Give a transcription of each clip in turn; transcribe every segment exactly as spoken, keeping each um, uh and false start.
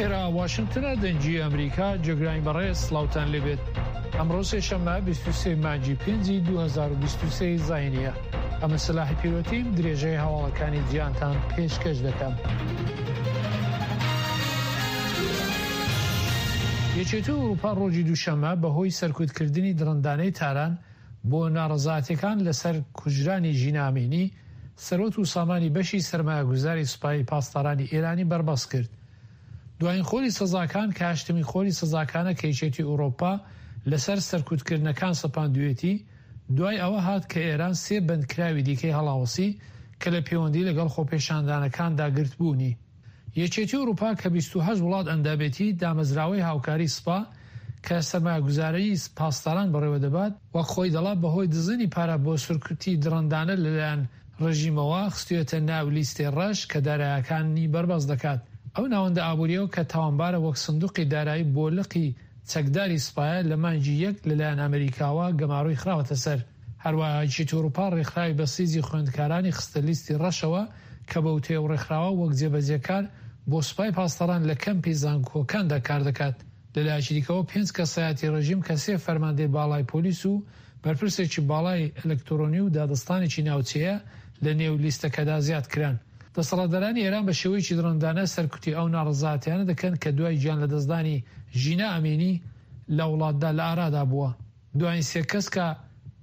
ئێرە واشنگتنە، دەنگی ئەمریکا. جێگرانی بەڕێز، سڵاوتان لێبێت. ئەمڕۆ سێشەممە بیست و سێ مانگی پێنجی دوو هەزار و بیست و سێ زاینیە. ئەمن سەلاحی پیرۆتیم، درێژەی هەواڵەکانی جیهانتان پێشکەش دەکەم. یەکێتی ئەوروپا ڕۆژی دووشەممە بەهۆی سەرکوتکردنی دڕندانەی تاران بۆ ناڕەزایەتیەکان لەسەر کوژرانی ژینا ئەمینی، سەرۆت و سامانی بەشی سەرمایەگوزاری سوپای پاسدارانی ئێرانی بەربەست کرد. دوایین خۆری سزاکان کە هەشتمین خۆری سزاکانە کە یەکێتی ئەوروپا لەسەر سەرکوتکردنەکان سەپاندوێتی، دوای ئەوە هات کە ئێران سێ بەندکراوی دیکەی هەڵاوەسی کە لە پەیوەندی لەگەڵ خۆپێشاندانەکاندا گرتبوونی. یەکێتی ئەوروپا کە بیست و هەشت وڵات ئەندامێتی، دامەزراوەی هاوکاری سپا کە سەرمایەگوزاری پاسداران بەڕێوە دەبات، وەک خۆی دەڵا بەهۆی دزینی پارە بۆ سەرکوتی دڕندانە لەلایەن ڕژیمەوە خستوێتە ناو لیستی ڕەش کە دارایەکانی بەربەست دەکات. ئەو ناوەندە ئابووریەوە کە تاوانبارە وەک سندوقی دارایی بۆ لقی چەکداری سپایە لە مانگی یەک لەلایەن ئەمریکاوە گەمارۆی خراوەتە سەر. هەروەها یەکێتی ئەوروپا ڕێکخراوی بەسیجی خوێندکارانی خستە لیستی ڕەشەوە کە بە وتەی ئەو ڕێکخراوە وەک جێبەجێکار بۆ سوپای پاسداران لە کەمپی زانکۆکاندا کار دەکات. لەلایەکی دیکەوە پێنج کەسایەتی ڕژیم کە سێ فەرماندەی باڵای پۆلیس و بەرپرسێکی باڵای ئەلکترۆنی و دادستانێکی ناوچەیە لە نێو لیستەکەدا زیاد کران. دەسەڵاتدارانی ئێران بە شێوەیەکی دڕندانە سەرکوتی ئەو ناڕەزایەتیانە دەکەن کە دوای گیان لەدەستدانی ژینا ئەمینی لە وڵاتدا لە ئارادا بووە. دوایین سێ کەس کە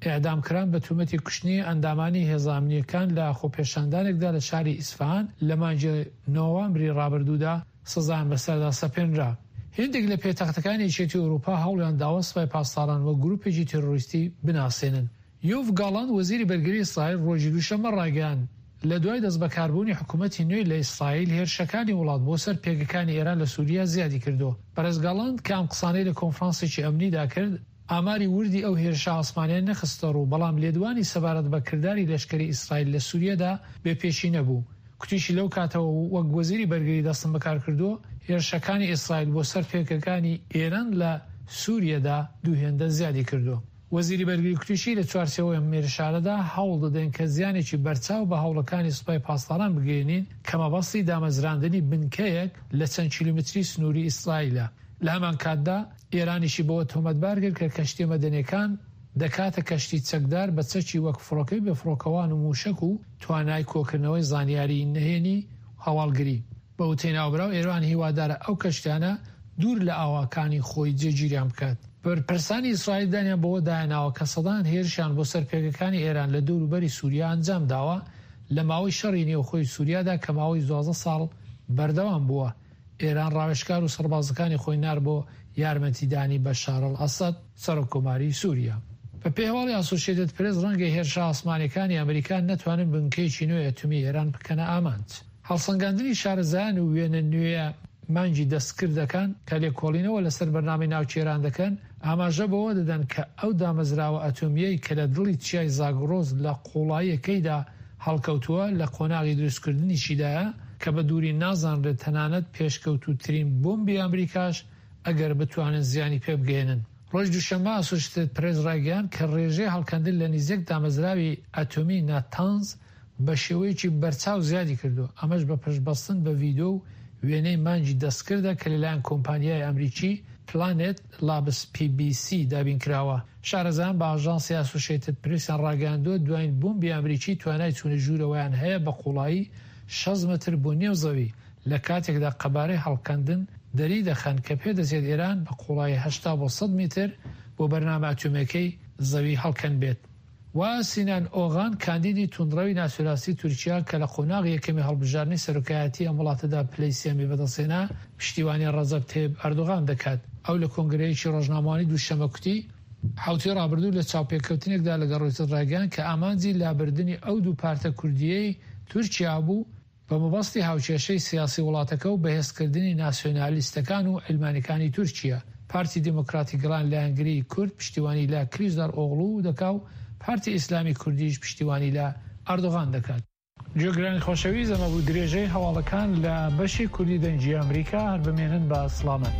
ئێعدام کران بە تۆمەتی کوشتنی ئەندامانی هێزە ئەمنییەکان لە خۆپێشاندانێکدا لە شاری ئیسفەهان لە مانگی نۆوامبری ڕابردوودا سزایان بەسەردا سەپێنرا. هێندێک لە پێتەختەکانی یەکێتی ئەوروپا هەوڵیان داوە سوپای پاسداران وەک گروپێکی تێرۆریستی بناسێنن. یۆڤ گالاند وەزیری بەرگری ئیسرائیل ڕۆژی دووشەممە ڕایگەیاند لە دوای دەستبەکاربوونی حکوومەتی نوێ لە ئیسرائیل هێرشەکانی وڵات بۆ سەر پێگەکانی ئێران لە سووریا زیادی کردو. بەڕێز گالاند کە ئەم قسانەی لە کۆنفرانسێکی ئەمنیدا کرد، ئاماری وردی ئەو هێرشە ئاسمانیان نەخستە ڕوو، بەڵام لێدوانی سەبارەت بە کرداری لەشکری ئیسرائیل لە سووریادا بێپێشی نەبوو. کوتیشی لەو کاتەوە وەک وەزیری بەرگری دەستم بەکار کردووە، هێرشەکانی ئیسرائیل بۆ سەر پێگەکانی ئێران لە سووریادا دوو هێندە زیادی کردووە. وەزیری بەرگری کوتیشی لە چوارچێوەی ئەم هێرشانەدا هەوڵ دەدەین کە زیانێکی بەرچاو بە هەوڵەکانی سوپای پاسداران بگەیەنین کە مەبەستی دامەزراندنی بنکەیەک لە چەند کیلۆمەتری سنووری ئیسرائیلە. لە هەمان کاتدا ئێرانیشی بەوە تۆمەتبار کرد کە کەشتی مەدەنیەکان دەکاتە کەشتی چەکدار بە چەکی وەک فڕۆکەی بێفڕۆکەوان و موشەک و توانای کۆکردنەوەی زانیاری نهێنی هەواڵگری. بە وتەی ناوبراو ئێران هیوادارە ئەو کەشتیانە دوور لە ئاواکانی خۆی جێگیریان بکات. بەرپرسانی ئیسرائیل دانیان بەوە دایاناوە کە سەدان هێرشیان بۆ سەر پێگەکانی ئێران لە دەوروبەری سووریا ئەنجام داوە لە ماوەی شەڕی نێوخۆی سووریادا کە ماوەی دوازدە ساڵ بەردەوام بووە. ئێران ڕاوێژکار و سەربازەکانی خۆی نار بۆ یارمەتیدانی بەشار ئەلئەسەد سەرۆککۆماری سووریا. بە پێی هەواڵی ئاسۆشیتد پرێس ڕەنگە هێرشە ئاسمانیەکانی ئەمریکا نەتوانن بنکەیەکی نوێ ئەتۆمی ئێران بکەنە ئامانج. هەڵسەنگاندنی شارەزایان و وێنە نوێیە مانگی دەستکردەکان کە لێکۆڵینەوە لەسەر بەرنامەی ناوکی ئێران دەکەن ئاماژە بەوە دەدەن کە ئەو دامەزراوە ئەتۆمیەی کە لە دڵی چیای زاگرۆس لە قوڵاییەکەیدا هەڵکەوتووە لە قۆناغی دروستکردنیشیدایە کە بە دووری نازانرێت تەنانەت پێشکەوتووترین بۆمبی ئەمریکاش ئەگەر بتوانن زیانی پێ بگەیەنن. ڕۆژ دووشەممە ئاسۆشیتد پرێس ڕایگەیاند کە ڕێژەی هەڵکەندن لە نزیک دامەزراوی ئەتۆمی ناتانز بە شێوەیەکی بەرچاو زیادی کردو، ئەمەش بە پشتبەستن بە ڤیدیۆ و وێنەی مانگی دەستکردە کە لەلایەن کۆمپانیای ئەمریکی پلانێت لابس پی بی سی دابین کراوە. شارەزایان بە ئاژانسی ئاسۆشیتد پرێسیان ڕاگەیاندووە دوایین بۆمبی ئەمریکی توانای چوونە ژوورەوەیان هەیە بە قوڵایی شەست مەتر بۆ نێو زەوی، لە کاتێکدا قەبارەی هەڵکەندن دەری دەخەن کە پێدەچێت ئێران بە قوڵایی هەشتا بۆ سەد متر بۆ بەرنامە ئەتۆمیەکەی زەوی هەڵکەن بێت. و سینان ئۆغان کاندیدی توندڕەوی ناسیۆنالیستی تورکیا کە لە قۆناغی یەکەمی هەڵبژاردنی سەرۆکایەتی ئەم وڵاتەدا پلەی سێمی بەدەستهێنا پشتیوانی ڕەجەب تەیب ئەردۆغان دەکات. ئەو لە کۆنگرەیەکی ڕۆژنامەوانی دووشەممە کوتی حوتی ڕابردوو لە چاوپێکەوتنێکدا لەگەڵ ڕۆیتەرز ڕایگەیاند کە ئامانجی لابردنی ئەو دوو پارتە کوردیەی تورکیا بوو بە مەبەستی هاوکێشەی سیاسی وڵاتەکە و بەهێزکردنی ناسیۆنالیستەکان و عیلمانیەکانی تورکیا. پارتی دێموکراتی گەلان لایەنگری کورد پشتیوانی لە کلیچدار ئۆغڵو دەکا و پارتی ئیسلامی کوردیش پشتیوانی لە ئەردۆغان دەکات. جێگرانی خۆشەویست، ئەمە بوو درێژەی هەواڵەکان لە بەشی کوردی دەنگی ئەمریکا. هەر بمێنن بە سڵامەت.